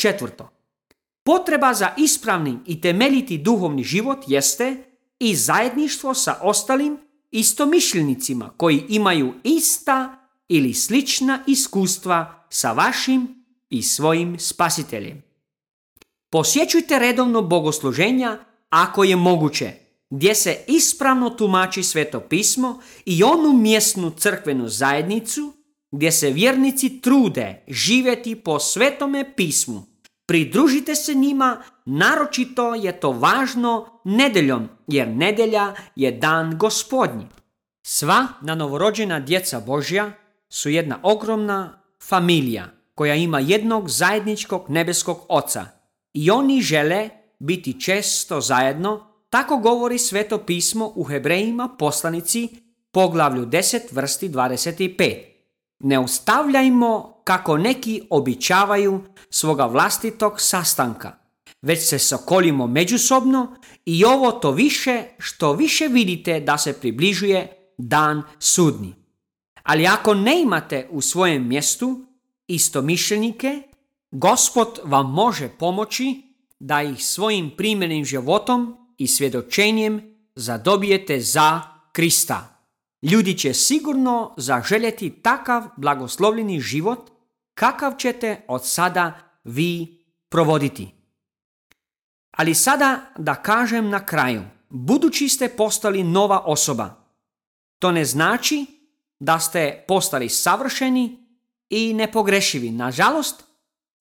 Četvrto, potreba za ispravnim i temeljiti duhovni život jeste i zajedništvo sa ostalim istomišljenicima koji imaju ista ili slična iskustva sa vašim i svojim spasiteljem. Posjećujte redovno bogosluženja ako je moguće, gdje se ispravno tumači Sveto pismo i onu mjesnu crkvenu zajednicu gdje se vjernici trude živjeti po Svetome pismu. Pridružite se njima, naročito je to važno nedeljom, jer nedelja je dan Gospodnji. Sva novorođena djeca Božja su jedna ogromna familija koja ima jednog zajedničkog nebeskog Oca i oni žele biti često zajedno, tako govori Sveto pismo u Hebrejima poslanici poglavlju 10 vrsti 25. Ne ostavljajmo kako neki običavaju svoga vlastitog sastanka, već se sokolimo međusobno i ovo to više što više vidite da se približuje dan sudnji. Ali ako ne imate u svojem mjestu istomišljenike, Gospod vam može pomoći da ih svojim primjernim životom i svjedočenjem zadobijete za Krista. Ljudi će sigurno zaželjeti takav blagoslovljeni život kakav ćete od sada vi provoditi. Ali sada da kažem na kraju, budući ste postali nova osoba, to ne znači da ste postali savršeni i nepogrešivi. Nažalost,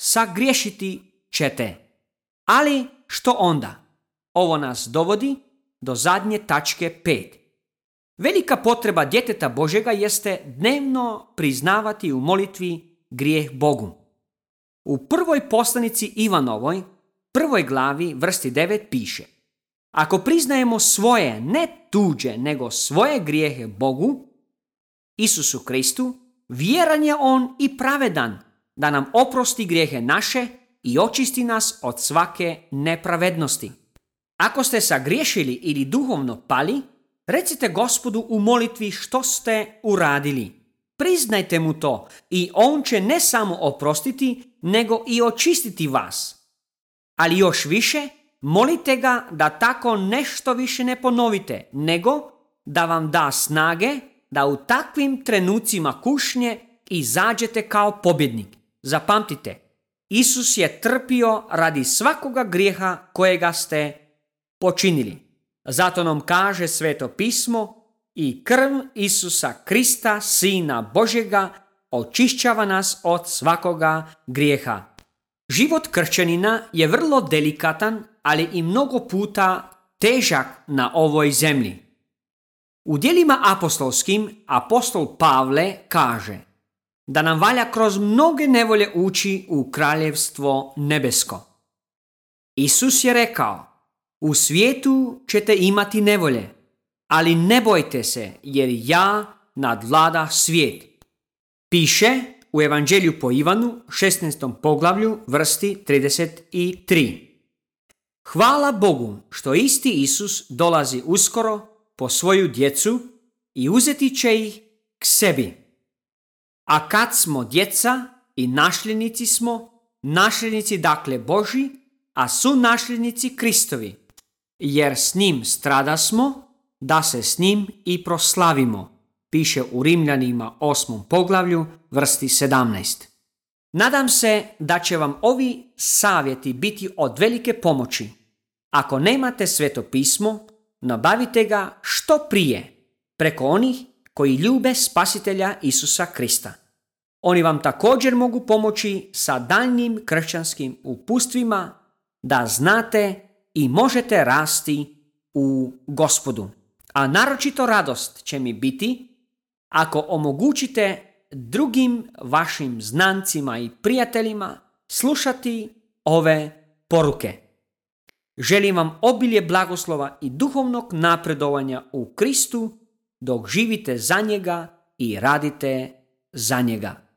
sagriješiti ćete. Ali što onda? Ovo nas dovodi do zadnje tačke 5. Velika potreba djeteta Božjega jeste dnevno priznavati u molitvi grijeh Bogu. U prvoj poslanici Ivanovoj, 1. glavi, vrsti 9 piše: ako priznajemo svoje, ne tuđe, nego svoje grijehe Bogu, Isusu Kristu, vjeran je On i pravedan da nam oprosti grijehe naše i očisti nas od svake nepravednosti. Ako ste sagriješili ili duhovno pali, recite Gospodu u molitvi što ste uradili. Priznajte mu to i on će ne samo oprostiti, nego i očistiti vas. Ali još više, molite ga da tako nešto više ne ponovite, nego da vam da snage da u takvim trenucima kušnje izađete kao pobjednik. Zapamtite, Isus je trpio radi svakoga grijeha kojega ste počinili. Zato nam kaže Sveto pismo: i krv Isusa Krista, Sina Božjega, očišćava nas od svakoga grijeha. Život kršćanina je vrlo delikatan, ali i mnogo puta težak na ovoj zemlji. U djelima apostolskim apostol Pavle kaže da nam valja kroz mnoge nevolje ući u kraljevstvo nebesko. Isus je rekao: u svijetu ćete imati nevolje, ali ne bojte se, jer ja nadvlada svijet. Piše u Evanđelju po Ivanu, 16. poglavlju, vrsti 33. Hvala Bogu što isti Isus dolazi uskoro po svoju djecu i uzeti će ih k sebi. A kad smo djeca i nasljednici smo, nasljednici dakle Božji, a su nasljednici Kristovi, jer s njim stradasmo, da se s njim i proslavimo, piše u Rimljanima 8. poglavlju, vrsti 17. Nadam se da će vam ovi savjeti biti od velike pomoći. Ako nemate Sveto pismo, nabavite ga što prije preko onih koji ljube Spasitelja Isusa Krista. Oni vam također mogu pomoći sa daljnjim kršćanskim upustvima da znate i možete rasti u Gospodu. A naročito radost će mi biti ako omogućite drugim vašim znancima i prijateljima slušati ove poruke. Želim vam obilje blagoslova i duhovnog napredovanja u Kristu dok živite za njega i radite za njega.